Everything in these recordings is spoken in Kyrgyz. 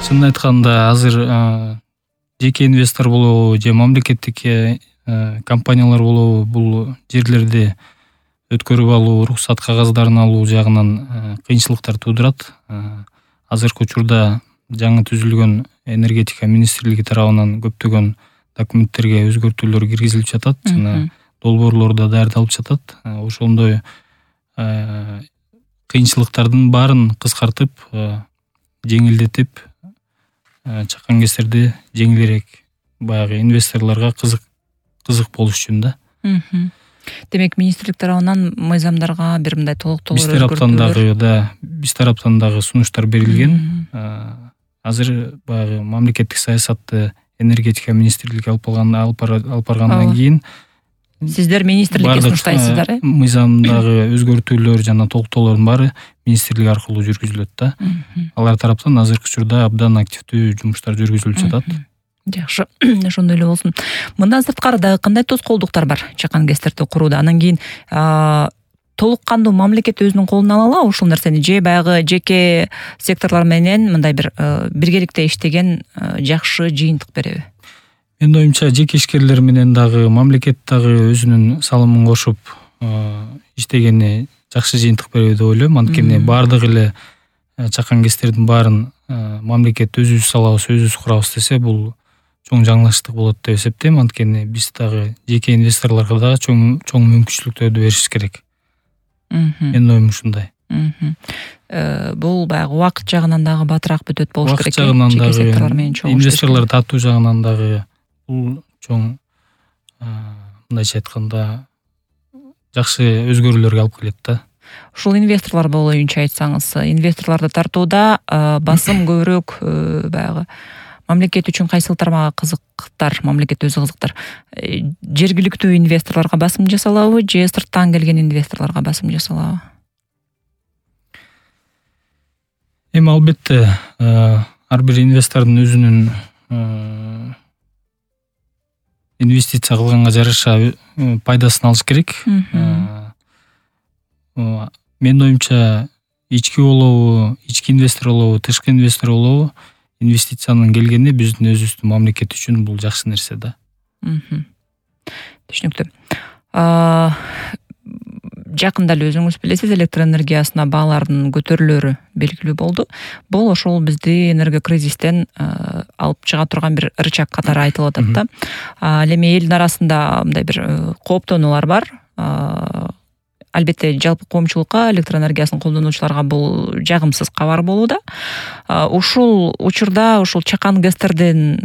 Чынын айтканда азыр жеке инвестор болобу же мамлекеттик компаниялар болобу бул жерлерди өткөрүп алуу, уруксат кагаздарын алуу жагынан кыйынчылыктар туудурат. Азыркы учурда жаңы түзүлгөн энергетика министрлиги тарабынан көптөгөн документтерге өзгөртүүлөр киргизилип жатат жана долбоорлор да даярдалып жатат. Ошондой кыйынчылыктардын баарын кыскартып, жеңилдетип, чакан кестерди жеңилирээк баягы инвесторлорго кызык болуш үчүн да. Демек, министрлик тарабынан мыйзамдарга бир мындай толуктоолор биз тараптан дагы сунуштар берилген. Азыр баягы мамлекеттик саясатты энергетика министрлиги алып баргандан кийин сиздер министрликке сунуштайсыздар, мыйзамдагы өзгөртүүлөр жана толуктоолордун баары министрлик аркылуу жүргүзүлөт да. Алар тараптан азыркы учурда абдан активдүү жумуштар жүргүзүлүп жатат. Жакшы, ошондой эле болсун. Мындан сырткары дагы кандай тоскоолдуктар бар чакан кестерди курууда? Анан кийин толук кандуу мамлекет өзүнүн колуна ала алабы ушул нерсени, же баягы жеке секторлор менен мындай бир биргеликте иштеген жакшы жыйынтык береби? Менин оюмча, жеке ишкерлер менен дагы мамлекет дагы өзүнүн салымын кошуп иштегени жакшы жыйынтык береби деп ойлойм. Анткени баардык эле чакан кестердин баарын мамлекет өзүбүз салабыз, өзүбүз курабыз десе, бул чоң жаңылыштык болот деп эсептейм. Анткени биз дагы жеке инвесторлорго дагы чоң мүмкүнчүлүктөрдү беришибиз керек. Менин оюм ушундай. Бул баягы убакыт жагынан дагы батыраак бүтөт болуш керек. Убакыт жагынан дагы, инвесторлор тартуу жагынан дагы бул чоң, мындайча айтканда, жакшы өзгөрүүлөргө алып келет да. Ушул инвесторлор боюнча айтсаңыз, инвесторлорду тартууда басым көбүрөөк баягы мамлекет үчүн кайсыл тармагы кызыктар, мамлекет өзү кызыктар? Жергиликтүү инвесторлорго басым жасалабы, же сырттан келген инвесторлорго басым жасалабы? Эми албетте ар бир инвестордун өзүнүн инвестиция кылганга жараша пайдасын алыш керек. Менин оюмча, ички болобу, ички инвестор болобу, тышкы инвестор болобу, инвестициянын келгени биздин өзүбүздүн мамлекет үчүн бул жакшы нерсе да. Түшүнүктүү. Жакында эле өзүңүз билесиз, электр энергиясына баалардын көтөрүлөрү белгилүү болду. Бул ошол бизди энерго кризистен алып чыга турган бир рычаг катары айтылып атат да. Ал эми элдин арасында мындай бир кооптонуулар бар. Албетте, жалпы коомчулукка, электр энергиясын колдонуучуларга бул жагымсыз кабар болууда. Ушул учурда ушул чакан кестердин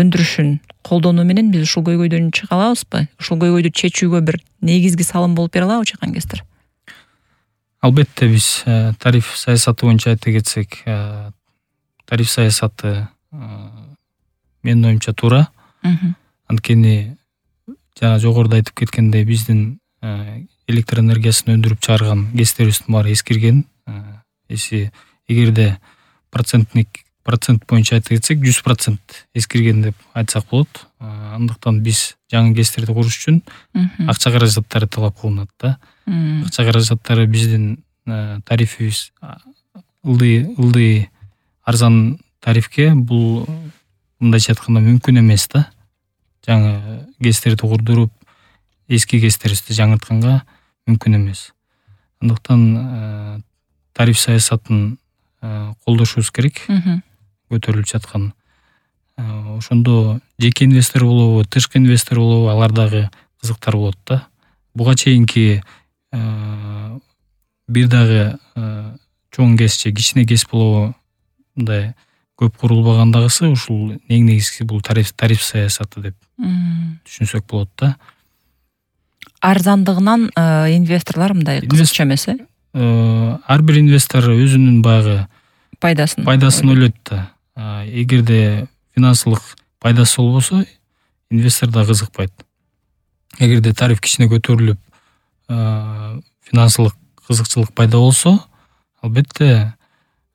өндүрүшүн колдонуу менен биз ушул көйгөйдөн чыга алабызбы? Ушул көйгөйдү чечүүгө бир негизги салым болуп бере алабы чакан кестер? Албетте, биз тариф саясаты боюнча айта кетсек, тариф саясаты менин оюмча туура. Анткени жана жогоруда айтып кеткендей, биздин электр энергиясын өндүрүп чыгарган кестерибиздин баары эскирген. Эгерде процент боюнча айта кетсек, 100% эскирген деп айтсак болот. Андыктан биз жаңы кестерди куруш үчүн акча каражаттары талап кылынат да. Акча каражаттары биздин тарифибиз ылдый арзан тарифке бул, мындайча айтканда, мүмкүн эмес да. Жаңы кестерди курдуруп, эски кестерибизди жаңыртканга мүмкүн эмес. Андыктан тариф саясатын колдошубуз керек, көтөрүлүп жаткан. Ошондо жеке инвестор болобу, тышкы инвестор болобу, алар дагы кызыктар болот да. Буга чейинки бир дагы чоң кес же кичине кес болобу, мындай көп курулбагандагысы ушул эң негизгиси бул тариф саясаты деп түшүнсөк болот да. Арзандыгынан инвесторлор мындай кызыкча эмес, ар бир инвестор өзүнүн баягы пайдасын ойлойт да. Эгерде финансылык пайдасы болбосо, инвестор да кызыкпайт. Эгерде тариф кичине көтөрүлүп, финансылык кызыкчылык пайда болсо, албетте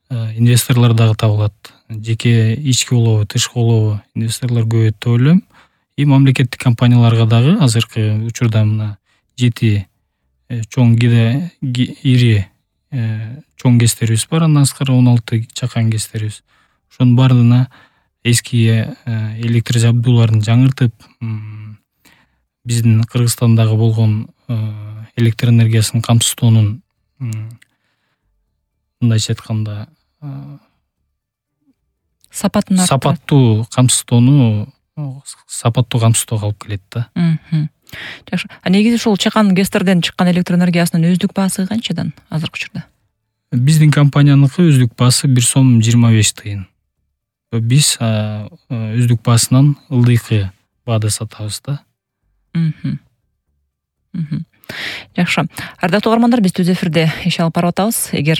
инвесторлор дагы табылат. Жеке ички болобу, тышкы болобу, инвесторлор көбөйөт деп ойлойм. И мамлекеттик компанияларга дагы азыркы учурда мына 7 чоң ири чоң кестерибиз бар, андан сырткары 16 чакан кестерибиз. ошонун баардыгына эски электр жабдууларын жаңыртып, биздин Кыргызстандагы болгон электр энергиясынын камсыздоонун, мындайча айтканда, сапаттуу камсыздоого алып келет да. Жакшы. Негизи ушул Чакан ГЭСтерден чыккан электр энергиясынын өздүк баасы канчадан азыркы учурда? Биздин компанияныкы өздүк баасы 1 сом 25 тыйын. Биз өздүк баасынан ылдыйкы баада сатабыз да. Жакшы. Ардактуу угармандар, биз түз эфирде иш алып барып атабыз. Эгер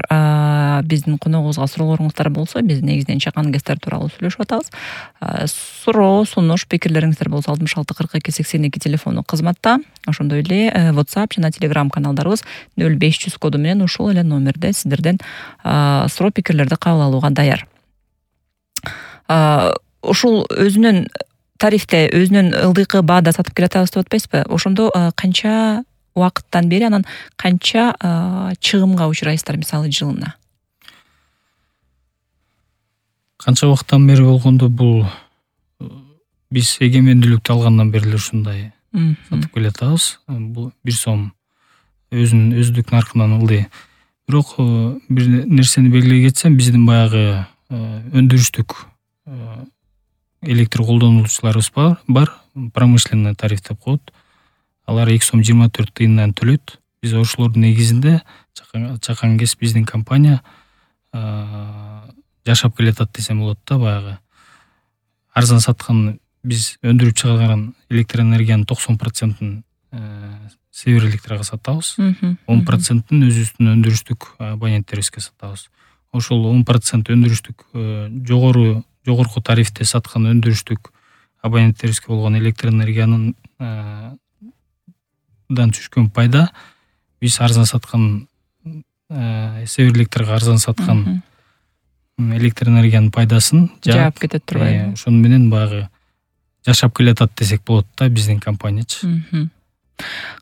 биздин коногубузга суроолоруңуздар болсо, биз негизинен Чакан ГЭСтер тууралуу сүйлөшүп атабыз. Суроо, сунуш, пикирлериңиздер болсо 66 42 82 телефону кызматта. Ошондой эле WhatsApp жана Telegram каналдарыбыз 0500 коду менен ушул эле номерде сиздерден суроо, пикирлерди кабыл алууга даяр. Ушул өзүнүн тарифте, өзүнүн ылдыйкы баада сатып келатабыз деп атпайсызбы? Ошондо канча убакыттан бери, анан канча чыгымга учурайсыздар, мисалы жылына? Канча убакыттан бери болгондо, бул биз эгемендүүлүктү алгандан бери эле ушундай сатып келатабыз. Бул 1 сом өзүнүн өздүк наркынан ылдый. Бирок бир нерсени белгилей кетсем, биздин баягы өндүрүштүк электр колдонуучуларыбыз бар, промышленный тариф деп коет. Алар 2 сом 24 тыйындан төлөйт. Биз ошолордун негизинде Чакан ГЭС биздин компания жашап келатат десем болот да. Баягы арзан саткан, биз өндүрүп чыгарган электр энергиянын 90%-ын Север Электрага сатабыз. 10%-ын өзүбүздүн өндүрүштүк абоненттерибизге сатабыз. Ошол 10% өндүрүштүк жогорку тарифте саткан өндүрүштүк абоненттерибизге болгон электр энергиянын түшкөн пайда, биз арзан саткан, Север Электрге арзан саткан электр энергиянын пайдасын жаап кетет турбайбы? Ошону менен баягы жашап келатат десек болот да, биздин компаниячы.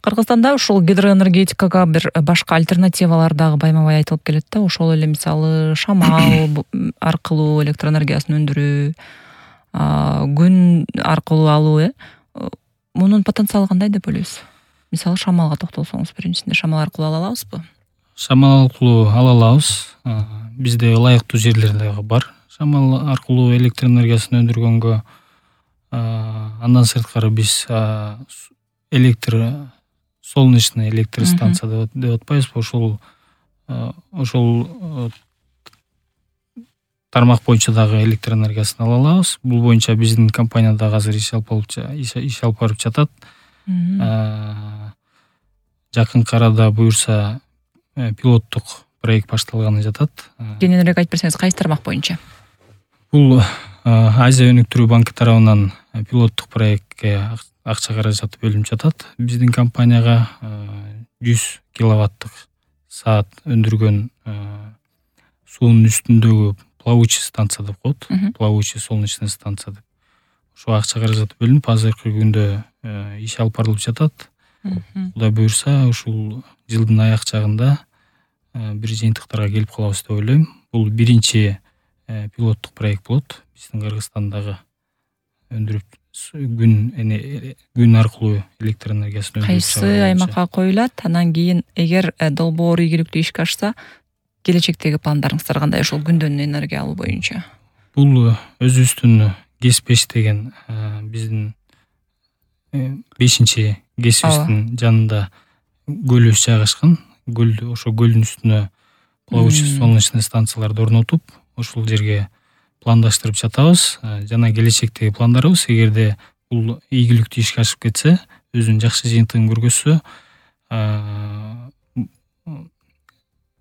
Кыргызстанда ушул гидроэнергетикага бир башка альтернативалар дагы байма-бай айтылып келет да. Ошол эле мисалы шамал аркылуу электр энергиясын өндүрүү, күн аркылуу алуу, мунун потенциалы кандай деп ойлойсуз? Мисалы шамалга токтолсоңуз, биринчисинде шамал аркылуу ала алабызбы? Шамал аркылуу ала алабыз. Бизде ылайыктуу жерлер дагы бар. Шамал аркылуу электр энергиясын өндүргөнгө, андан сырткары биз солнечный электр станция деп атпайбызбы? Ошол тармак боюнча дагы электр энергиясын ала алабыз. Бул боюнча биздин компания дагы азыр иш алып барып жатат. Жакынкы арада буюрса пилоттук проект башталганы жатат. Кененирээк айтып берсеңиз, кайсы тармак боюнча? Бул Азия өнүктүрүү банкы тарабынан пилоттук проектке акча каражаты бөлүнүп жатат. Биздин компанияга 100 киловаттык саат өндүргөн суунун үстүндөгү плавучий станция деп коет. Плавучий солнечный станция деп. Ошо акча каражаты бөлүнүп, азыркы күндө иш алып барылып жатат. Кудай буюрса, ушул жылдын аяк жагында бир жыйынтыктарга келип калабыз деп ойлойм. Бул биринчи пилоттук проект болот. Биздин Кыргызстандагы өндүрүп күн аркылуу электр энергиясын өндүрүп чыгаруу. Кайсы аймакка коюлат? Анан кийин эгер долбоор ийгиликтүү ишке ашса, келечектеги пландарыңыздар кандай ошол күндөн энергия алуу боюнча? Бул өзүбүздүн ГЭС-5 деген биздин 5-чи ГЭСибиздин жанында көлүбүз жайгашкан. Ошо көлдүн үстүнө плавучий солнечный станцияларды орнотуп, ошол жерге пландаштырып жатабыз. Жана келечектеги пландарыбыз, эгерде бул ийгиликтүү ишке ашып кетсе, өзүнүн жакшы жыйынтыгын көргөзсө,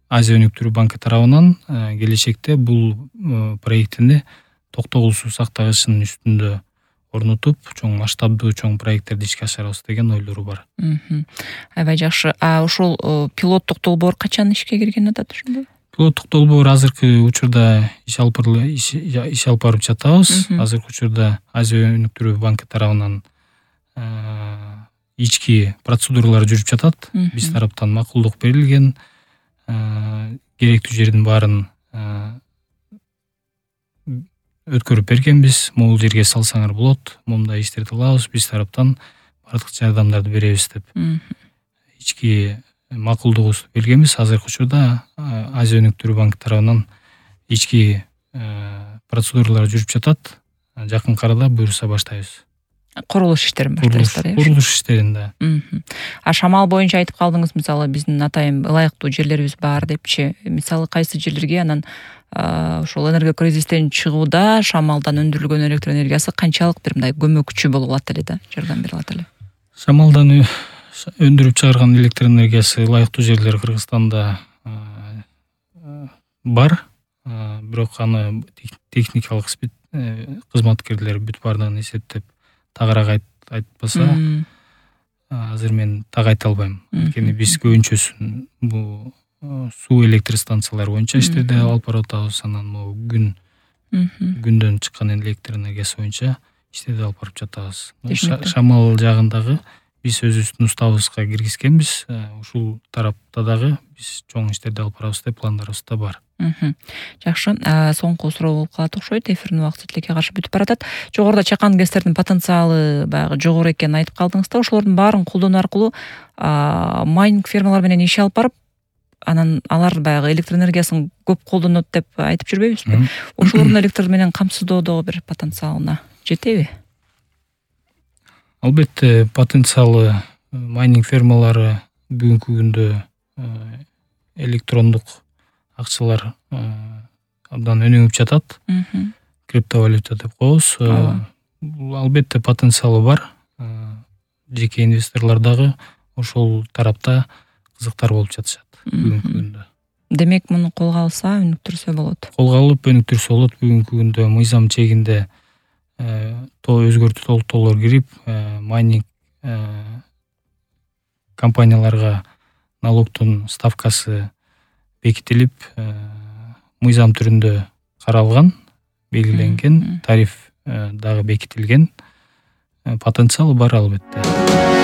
Азия өнүктүрүү банкы тарабынан келечекте бул проектини токтогулсуз сактагычынын үстүндө орнотуп, чоң масштабдуу чоң проекттерди ишке ашырабыз деген ойлору бар. Аябай жакшы. Ушул пилоттук долбоор качан ишке кирген атат ошондо? Пилоттук долбоор азыркы учурда иш алып барып жатабыз. Азыркы учурда Азия өнүктүрүү банкы тарабынан ички процедуралар жүрүп жатат. Биз тараптан макулдук берилген, керектүү жердин баарын өткөрүп бергенбиз. Могул жерге салсаңар болот, момундай иштерди кылабыз, биз тараптан бардык жардамдарды беребиз деп. Ички макулдугубузду бергенбиз. Азыркы учурда Азия өнүктүрүү банкы тарабынан ички процедуралар жүрүп жатат. Жакын арада буюрса баштайбыз. Курулуш иштерин баштайсыздар, Курулуш иштерин да. А шамал боюнча айтып калдыңыз, мисалы биздин атайын ылайыктуу жерлерибиз бар депчи. Мисалы кайсы жерлерге анан ошол энергия кризистен чыгууда шамалдан өндүрүлгөн электр энергиясы канчалык бир мындай көмөкчү болуп алат эле да, жардам берип алат эле? Шамалдан өндүрүп чыгарган электр энергиясы ылайыктуу жерлер Кыргызстанда бар. Бирок аны техникалык кызматкерлер бүт бардыгын эсептеп тагыраак айтпаса, азыр мен так айта албайм. Анткени биз көбүнчөсүн бул суу электр станциялары боюнча иштерди алып барып атабыз. Анан могу күндөн чыккан электр энергиясы боюнча иштерди алып барып жатабыз. Шамал жагындагы биз өзүбүздүн уставыбызга киргизгенбиз. Ушул тарапта дагы биз чоң иштерди алып барабыз деп пландарыбызда бар. Жакшы. Соңку суроо болуп калат окшойт. Эфирдин убакыты тилекке каршы бүтүп баратат. Жогоруда чакан гэстердин потенциалы баягы жогору экенин айтып калдыңыз да. Ошолордун баарын колдонуу аркылуу майнинг фермалар менен иш алып барып, анан алар баягы электр энергиясын көп колдонот деп айтып жүрбөйбүзбү? Ошолордун электр менен камсыздоодогу бир потенциалына жетеби? Албетте, потенциалы майнинг фермалары бүгүнкү күндө электрондук акчалар абдан өнүгүп жатат. Криптовалюта деп коебуз. Албетте потенциалы бар. Жеке инвесторлор дагы ошол тарапта кызыктар болуп жатышат бүгүнкү күндө. Демек, муну колго алса, өнүктүрсө болот. Колго алып өнүктүрсө болот. Бүгүнкү күндө мыйзам чегинде өзгөртүү толуктоолор кирип, майнинг компанияларга налогдун ставкасы бекитилип, мыйзам түрүндө каралган, белгиленген, тариф дагы бекитилген. Потенциалы бар албетте.